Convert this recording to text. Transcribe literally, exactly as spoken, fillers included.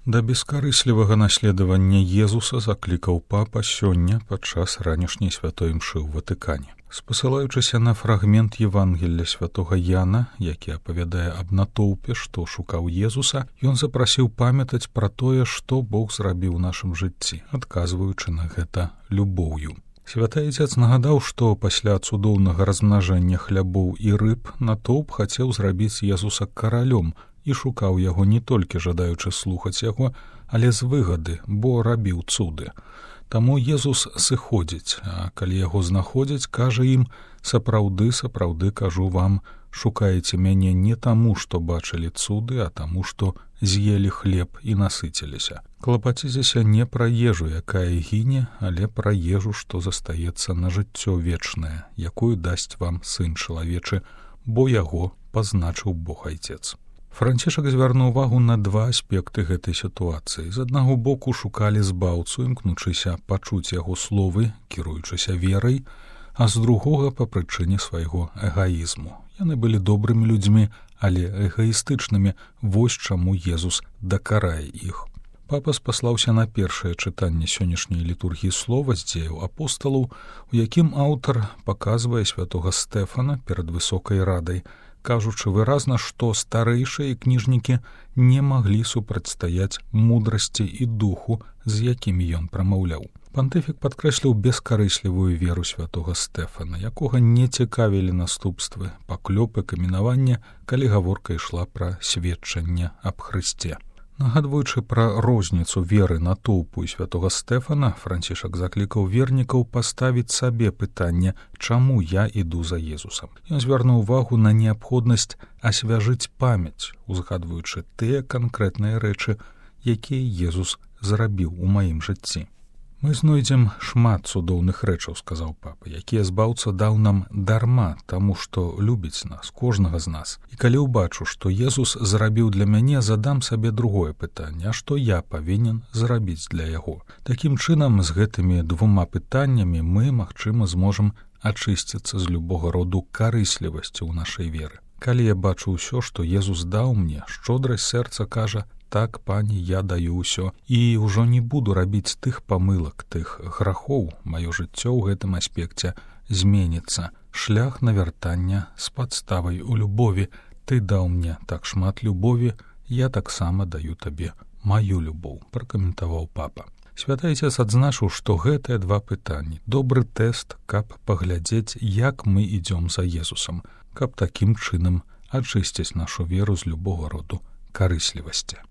Да бескарыслівага наследавання Езуса заклікаў папа сёння падчас ранішняй святой імшы ў Ватыкане. Спасылаючыся на фрагмент Евангелля святога Яна, які апавядае аб натоўпе, што шукаў Езуса, ён запрасіў памятаць пра тое, што Бог зрабіў у нашым жыцці, адказваючы на гэта любоўю. Святы Айцец нагадаў, што пасля цудоўнага размнажэння хлябоў і рыб натоўп хацеў зрабіць Езуса каралём і шукаў яго не толькі жадаючы слухаць яго, але з выгады, бо рабіў цуды. Таму Езус сыходзіць, а калі яго знаходзяць, кажа ім: «Сапраўды, сапраўды кажу вам, шукаеце мяне не таму, што бачылі цуды, а таму, што з'елі хлеб і насыціліся. Клапаціцеся не пра ежу, якая гіне, але пра ежу, што застаецца на жыццё вечнае, якую дасць вам Сын чалавечы, бо яго пазначыў Бог Айцец». Францішак звярнуў увагу на два аспекты гэтай сітуацыі. З аднаго боку шукалі збаўцу, імкнучыся пачуць яго словы, кіруючыся верай, а з другога па прычыне свайго эгаізму. Яны былі добрымі людзьмі, але эгаістычнымі, вось чаму Езус дакарае іх. Папа спаслаўся на першае чытанне сённяшняй літургіі слова з дзеяў апосталаў, у якім аўтар паказвае святога Стэфана перад высокай радай, кажучы выразна, што старэйшыя кніжнікі не маглі супрацьстаяць мудрасці і духу, з якімі ён прамаўляў. Пантыфік падкрэсліў бескарыслівую веру святога Стэфана, якога не цікавілі наступствы, паклёпы, каменавання, калі гаворка ішла пра сведчанне аб Хрысце. Нагадваючы пра розніцу веры натоўпу і святога Стэфана, Францішак заклікаў вернікаў паставіць сабе пытанне, чаму я іду за Езусам. Ён звярнуў увагу на неабходнасць асвяжыць памяць, узгадваючы тыя канкрэтныя рэчы, якія Езус зрабіў у маім жыцці. «Мы знойдзем шмат цудоўных рэчаў, — сказаў папа, — якія збаўца даў нам дарма, таму што любіць нас, кожнага з нас. І калі ўбачу, што Езус зрабіў для мяне, задам сабе другое пытанне, а што я павінен зрабіць для яго. Такім чынам, з гэтымі двума пытаннямі мы, магчыма, зможам ачысціцца з любога роду карыслівасці ў нашай веры. Калі я бачу ўсё, што Езус даў мне, шчодрасць сэрца кажа: так, пані, я даю ўсё, і ўжо не буду рабіць тых памылак, тых грахоў, маё жыццё ў гэтым аспекце зменіцца. Шлях навяртання з падставай у любові. Ты даў мне так шмат любові, я таксама даю табе маю любоў», — пракаментаваў папа. Святы Айцец адзначыў, што гэтыя два пытанні — добры тэст, каб паглядзець, як мы ідзём за Езусам, каб такім чынам ачысціць нашу веру з любога роду карыслівасці.